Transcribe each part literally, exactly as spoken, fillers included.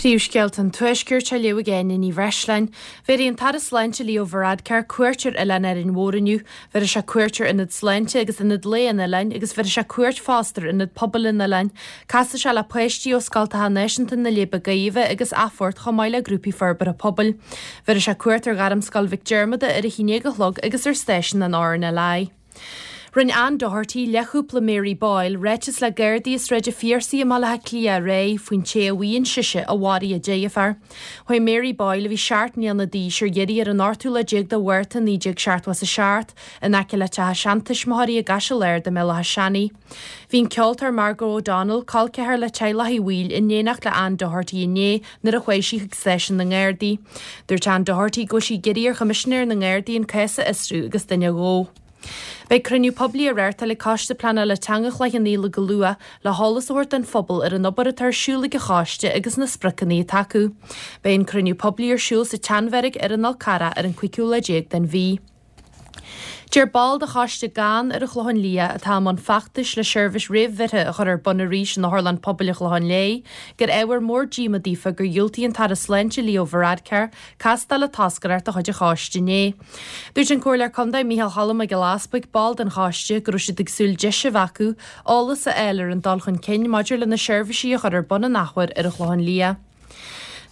Príomhscéalta an Tuaiscirt á léamh ag Áine Ní Bhreisleáin. Bhéarfaidh an tAire Sláinte Leo Varadkar cuairt ar Oileán Árainn Mhór inniu. Bhéarfaidh sé cuairt ar Ionad Sláinte agus Ionad Lae an Oileáin agus bhéarfaidh sé cuairt fosta ar Ionad Pobail an Oileáin. Casfaidh sé le páistí ó Scoltacha Náisiúnta na Leidhbe Gaibhe agus Athphort chomh maith le grúpaí forbartha pobail. Bhéarfaidh sé cuairt ar Ghairmscoil Mhic Diarmada ar a haon déag a chlog agus ar stáisiún an RNLI. Rinne Ann Doherty, leathchúpla Mary Boyle, ráiteas le Gardaí i Sráid an Phiarsaigh i mBaile Átha Cliath aréir faoin té a mhaíonn sise a mharaigh a deirfiúr. Chuaigh Mary Boyle, a bhí seacht mbliana d'aois, ar iarraidh ar an ochtú lá déag de Mhárta naoi déag seachtó a seacht, in aice le teach a seantuismitheoirí i gCaiseal Ard i mBéal Átha Seanaidh. Bhí an ceoltóir Margo O'Donnell, col ceathar le teaghlach Uí Bhaoill, in éineacht le Ann Doherty inné nuair a chuaigh sí chuig stáisiún na nGardaí. Dúirt Ann Doherty go bhfuil sí ag iarraidh ar Choimisinéir na nGardaí an cás a fhiosrú agus duine a dhó. Beidh cruinniú poiblí á reáchtáil ag Coiste Pleanála Teanga Chloich Cheann Fhaola go luath le heolas a thabhairt don phobal ar an obair atá ar siúl ag an choiste agus na spriocanna atá acu. Beidh an cruinniú poiblí ar siúl sa tSeanbheairic ar an Fhál Carrach ar an cúigiú lá déag den mhí. Deir ball de choiste GAN ar an Chlochán Liath atá i mbun feachtais le seirbhís réamhbheirthe a chur ar bun arís in Otharlann Pobail an Chlocháin Léith gur ábhar mór díoma daofa gur dhiúltaigh an tAire Sláinte Leo Varadkar castáil le toscaireacht de chuid an choiste inné. Dúirt an Comhairleoir Contae Micheál Cholm Mac Giolla Easbuig, ball den choiste, go raibh siad ag súil deis a bheith acu eolas a fháil ar an dul chun cinn maidir le na seirbhísí a chur ar bun an athuair ar an Chlochán Liath.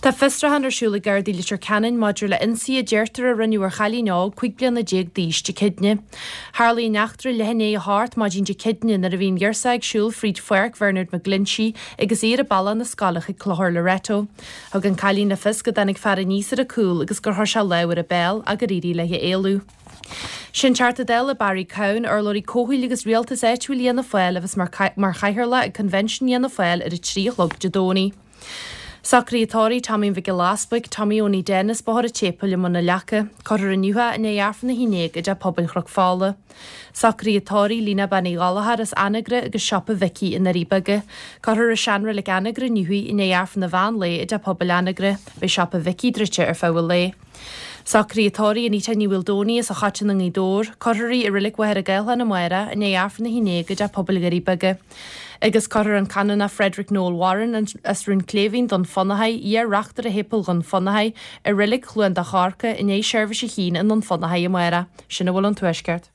Tá fiosrúchán ar siúl ag Gardaí Leitir Ceanainn maidir le ionsaí a deirtear a rinneadh ar chailín óg cúig bliana déag d'aois Dé Céadaoine. Tharlaigh an eachtra leath i ndiaidh a hocht maidin Dé Céadaoine nuair a bhí an ghirseach ag siúl fríd pháirc Bhernard McGlinchey agus í ar a bealach na scoile chuig Clochar Loreto. Thug an cailín le fios go dtáinig fear aníos ar a cúl agus gur chuir sé lámh ar a béal ach gur éirigh léi éalú. Sin Teachta Dála Barry Cowen, urlabhraí comhshaoil agus rialtas áitiúil Fhianna Fáil a bheas mar chathaoirleach ag Convention Fhianna Fáil ar a trí a chlog Dé Domhnaigh. Socruithe tórraimh Tommy Mhic Giolla Easbuig, Tommy Owenie Dennis, Bóthar an tSéipéil i mBun na Leaca, Cuirfear inniu é i ndiaidh Aifreann a haon déag i dTeach Pobail Chnoc Fola. Socruithe tórraimh Lena Bean Uí Ghallchóir as Anagaire agus Siopa Mhicí i nDoirí Beaga. Cuirfear i Seanreilig Anagaire inniu í i ndiaidh Aifreann an mheán lae i dTeach Pobail Anagaire. Beidh Siopa Mhicí druidte ar feadh an lae. Socruithe tórraimh Anita Ní Mhaoldomhnaigh as an Choiteann i nGaoth Dobhair, Cuirfear í i Reilig Mhachaire Gathlán amárach i ndiaidh Aifreann a haon déag i dTeach Pobail Dhoirí Beaga. Agus cuirfear an Canónach Frederick Noel Warren as Rún Cléibhín, Dún Fionnachaidh, iar-reachtaire Shéipéal Dhún Fionnachaidh, i Reilig Chluain Dá Chorca i ndiaidh seirbhís a haon i nDún Fionnachaidh amárach. Sin a bhfuil ón Tuaisceart.